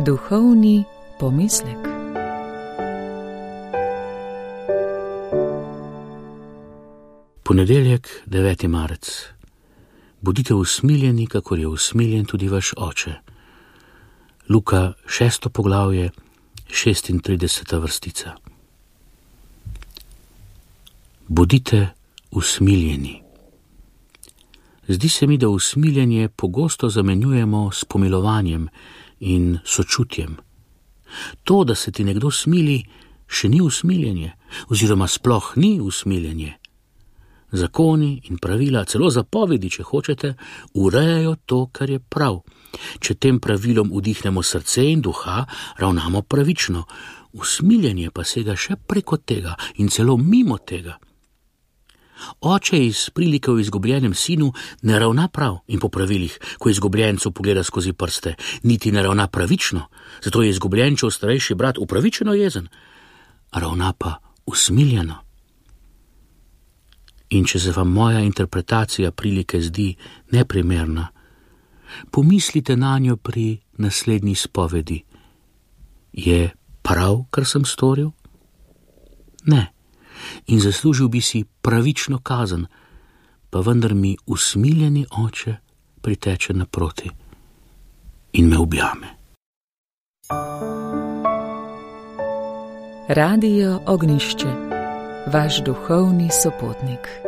Duhovni pomislek. Ponedeljek, 9. marec. Bodite usmiljeni, kakor je usmiljen tudi vaš oče. Luka 6. poglavje, 36. vrstica. Bodite usmiljeni. Zdi se mi, da usmiljenje pogosto zamenjujemo s pomilovanjem in sočutjem. To, da se ti nekdo smili, še ni usmiljenje, oziroma sploh ni usmiljenje. Zakoni in pravila, celo zapovedi, če hočete, urejajo to, kar je prav. Če tem pravilom vdihnemo srce in duha, ravnamo pravično. Usmiljenje pa sega še preko tega in celo mimo tega. Oče iz prilike o izgubljenem sinu ne ravna prav in po pravilih, ko izgubljencu pogleda skozi prste, niti ne ravna pravično, zato je izgubljenčev starejši brat upravičeno jezen, ravna pa usmiljeno. In če se vam moja interpretacija prilike zdi neprimerna, pomislite nanjo pri naslednji spovedi. Je prav, kar sem storil? Ne. In zaslužil bi si pravično kazen, pa vendar mi usmiljeni oče priteče naproti in me objame. Radio Ognjišče, vaš duhovni sopotnik.